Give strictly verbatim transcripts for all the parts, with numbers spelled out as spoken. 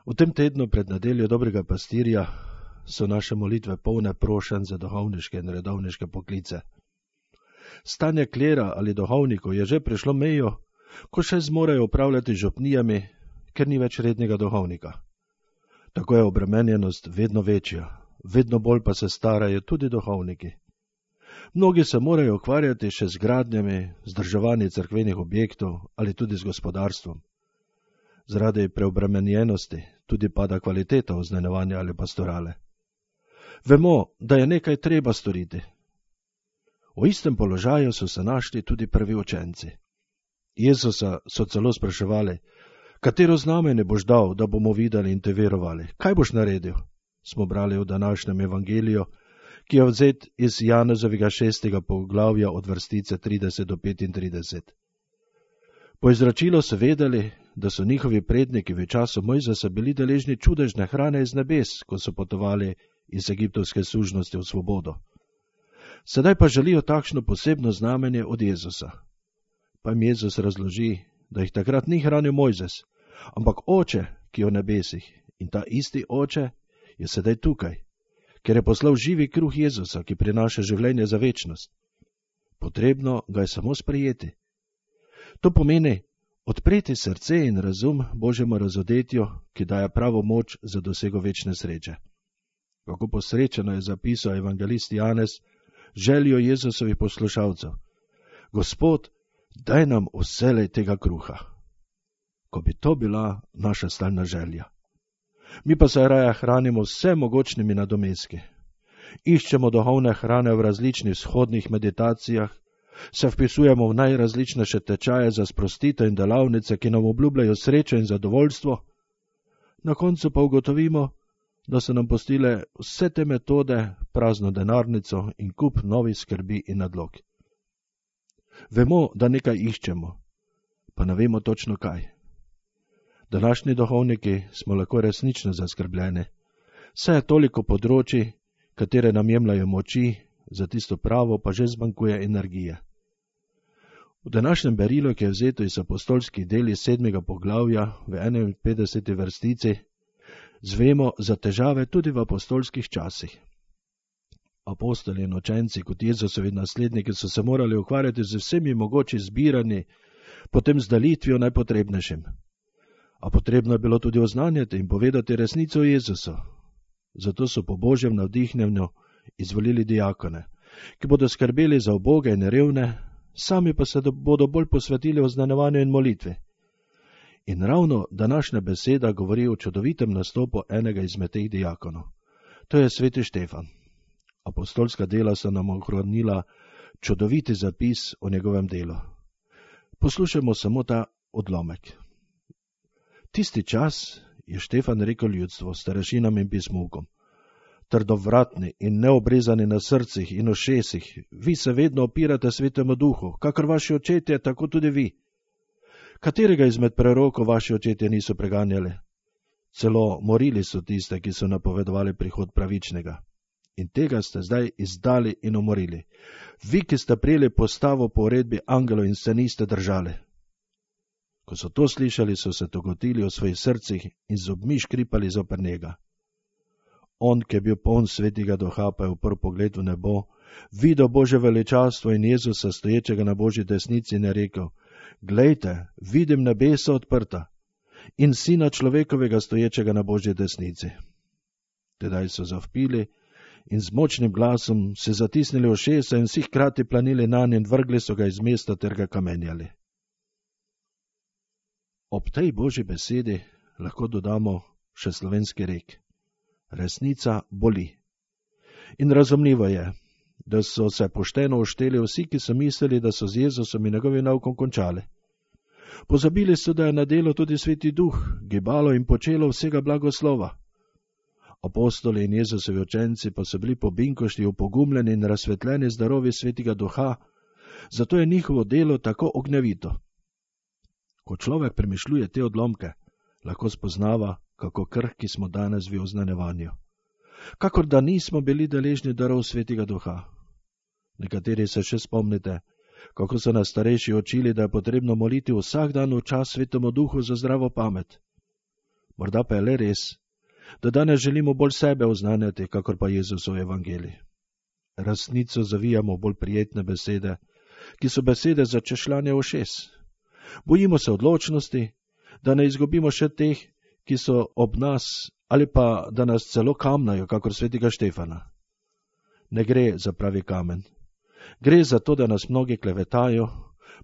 V tem tednu pred nedeljo dobrega pastirja so naše molitve polne prošenj za duhovniške in redovniške poklice. Stanje klera ali duhovnikov je že prešlo mejo, ko še zmorejo upravljati župnijami, ker ni več rednega duhovnika. Tako je obremenjenost vedno večja, vedno bolj pa se starajo tudi duhovniki. Mnogi se morajo ukvarjati še z gradnjami, vzdrževanjem cerkvenih objektov ali tudi z gospodarstvom. Zaradi preobremenjenosti tudi pada kvaliteta oznanjevanja ali pastorale. Vemo, da je nekaj treba storiti. V istem položaju so se našli tudi prvi učenci. Jezusa so celo spraševali, katero znamenje boš dal, da bomo videli in te verovali? Kaj boš naredil? Smo brali v današnjem evangeliju, ki je vzet iz Janezovega šestega poglavja od vrstice trideset do petintrideset. Po izročilu so vedeli, da so njihovi predniki v času Mojzesa bili deležni čudežne hrane iz nebes, ko so potovali iz egiptovske sužnosti v svobodo. Sedaj pa želijo takšno posebno znamenje od Jezusa. Pa jim Jezus razloži, da jih takrat ni hranil Mojzes, ampak Oče, ki je v nebesih, in ta isti Oče je sedaj tukaj, ker je poslal živi kruh Jezusa, ki prinaša življenje za večnost. Potrebno ga je samo sprejeti. To pomeni odpreti srce in razum Božjemu razodetju, ki daje pravo moč za dosego večne sreče. Kako posrečeno je zapisal evangelist Janez željo Jezusovih poslušalcev. Gospod, daj nam vselej tega kruha. Ko bi to bila naša stalna želja. Mi pa se raje hranimo vse mogočnimi nadomestki. Iščemo duhovne hrane v različnih vzhodnih meditacijah, se vpisujemo v najrazličnejše tečaje za sprostitev in delavnice, ki nam obljubljajo srečo in zadovoljstvo. Na koncu pa ugotovimo, da so nam postile vse te metode prazno denarnico in kup novih skrbi in nadlog. Vemo, da nekaj iščemo, pa ne vemo točno kaj. Današnji duhovniki smo lahko resnično zaskrbljeni. Vse je toliko področij, katere nam jemljajo moči, za tisto pravo pa že zmanjkuje energije. V današnjem berilu, ki je vzeto iz apostolskih del iz sedmega poglavja v enainpetdeseti vrstici, zvemo za težave tudi v apostolskih časih. Apostoli in učenci kot Jezusovi nasledniki so se morali ukvarjati z vsemi mogoči zbiranji, potem z dalitvijo najpotrebnejšim. A potrebno je bilo tudi oznanjati in povedati resnico o Jezusu. Zato so po Božjem navdihnjenju izvolili diakone, ki bodo skrbeli za uboge in revne, sami pa se bodo bolj posvetili oznanjevanju in molitvi. In ravno današnja beseda govori o čudovitem nastopu enega izmed teh diakonov. To je sveti Štefan. Apostolska dela so nam ohranila čudoviti zapis o njegovem delu. Poslušajmo samo ta odlomek. Tisti čas je Štefan rekel ljudstvu, starešinam in pismovkom: Trdovratni in neobrezani na srcih in ušesih, vi se vedno opirate Svetemu Duhu, kakor vaši očetje, tako tudi vi. Katerega izmed prerokov vaši očetje niso preganjali? Celo morili so tiste, ki so napovedovali prihod pravičnega. In tega ste zdaj izdali in umorili. Vi, ki ste prijeli postavo po uredbi angelov in se niste držali. Ko so to slišali, so se togotili v svojih srcih in z zobmi škripali zoper njega. On, ki je bil poln Svetega Duha, pa je uprl pogled v nebo, videl Božje veličastvo in Jezusa stoječega na Božji desnici in je rekel: Glejte, vidim nebesa odprta in Sina človekovega stoječega na Božji desnici. Tedaj so zavpili in z močnim glasom se zatisnili ušesa in vsi hkrati planili nanj in vrgli so ga iz mesta ter ga kamenjali. Ob tej Božji besedi lahko dodamo še slovenski rek: resnica boli. In razumljivo je, da so se pošteno ušteli vsi, ki so mislili, da so z Jezusom in njegovim naukom končali. Pozabili so, da je na delu tudi Sveti Duh, gibalo in počelo vsega blagoslova. Apostoli in Jezusovi učenci pa so bili po binkošti upogumljeni in razsvetljeni z darovi Svetega Duha, zato je njihovo delo tako ognjevito. Ko človek premišljuje te odlomke, lahko spoznava, kako krhki smo danes v oznanjevanju. Kakor da nismo bili deležni darov Svetega Duha. Nekateri se še spomnite, kako so nas starejši učili, da je potrebno moliti vsak dan v čas Svetemu Duhu za zdravo pamet. Morda pa je le res, da danes želimo bolj sebe oznanjati, kakor pa Jezusov evangelij. Resnico zavijamo bolj prijetne besede, ki so besede za češljanje ušes. Bojimo se odločnosti, da ne izgubimo še teh, ki so ob nas, ali pa da nas celo kamnajo, kakor svetega Štefana. Ne gre za pravi kamen. Gre za to, da nas mnogi klevetajo,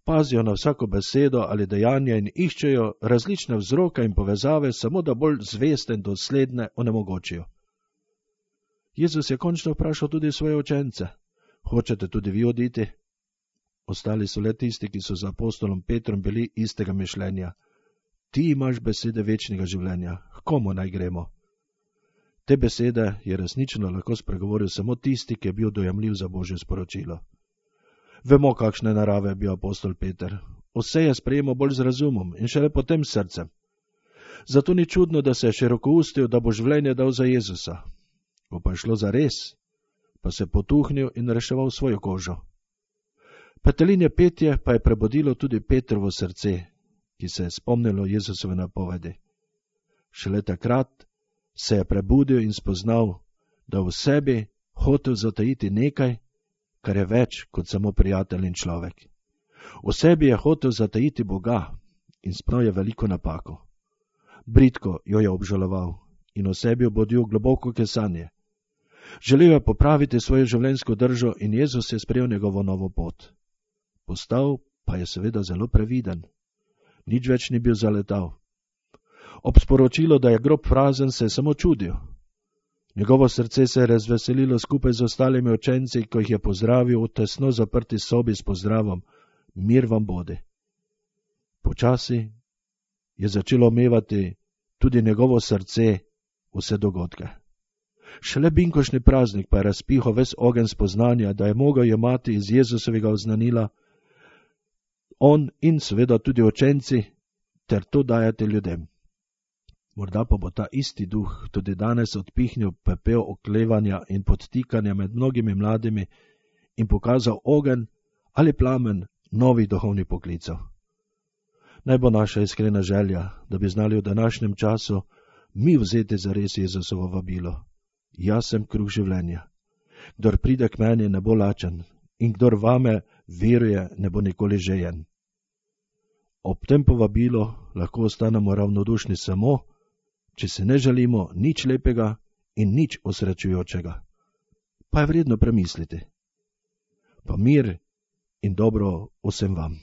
pazijo na vsako besedo ali dejanje in iščejo različne vzroke in povezave, samo da bolj zveste in dosledne onemogočijo. Jezus je končno vprašal tudi svoje učence: hočete tudi vi oditi? Ostali so le tisti, ki so z apostolom Petrom bili istega mišljenja. Ti imaš besede večnega življenja, k komu naj gremo? Te besede je resnično lahko spregovoril samo tisti, ki je bil dojemljiv za Božje sporočilo. Vemo, kakšne narave je bil apostol Peter. Vse je sprejemal bolj z razumom in šele potem s srcem. Zato ni čudno, da se je širokoustil, da bo življenje dal za Jezusa. Ko pa je šlo za res, pa se je potuhnil in reševal svojo kožo. Petelinje petje pa je prebudilo tudi Petrovo srce, ki se je spomnilo Jezusove napovedi. Šele takrat se je prebudil in spoznal, da v sebi hotel zatajiti nekaj, kar je več kot samo prijatelj in človek. V sebi je hotel zatajiti Boga in sprav je veliko napako. Bridko jo je obžaloval in v sebi obudil globoko kesanje. Želel je popraviti svojo življenjsko držo in Jezus je sprejel njegovo novo pot. Postal pa je seveda zelo previden. Nič več ni bil zaletal. Ob sporočilu, da je grob prazen, se je samo čudil. Njegovo srce se je razveselilo skupaj z ostalimi učenci, ko jih je pozdravil v tesno zaprti sobi s pozdravom: mir vam bodi. Počasi je začelo omevati tudi njegovo srce vse dogodke. Šele binkošni praznik pa je razpihal ves ogenj spoznanja, da je mogel jemati iz Jezusovega oznanila on in seveda tudi učenci ter to dajati ljudem. Morda pa bo ta isti duh tudi danes odpihnil pepel oklevanja in podtikanja med mnogimi mladimi in pokazal ogenj ali plamen novih duhovnih poklicev. Naj bo naša iskrena želja, da bi znali v današnjem času mi vzeti zares Jezusovo vabilo. Jaz sem kruh življenja. Kdor pride k meni, ne bo lačen, in kdor vame veruje, ne bo nikoli žejen. Ob tem povabilu lahko ostanemo ravnodušni samo, če se ne želimo nič lepega in nič osrečujočega. Pa je vredno premisliti. Pa mir in dobro vsem vam.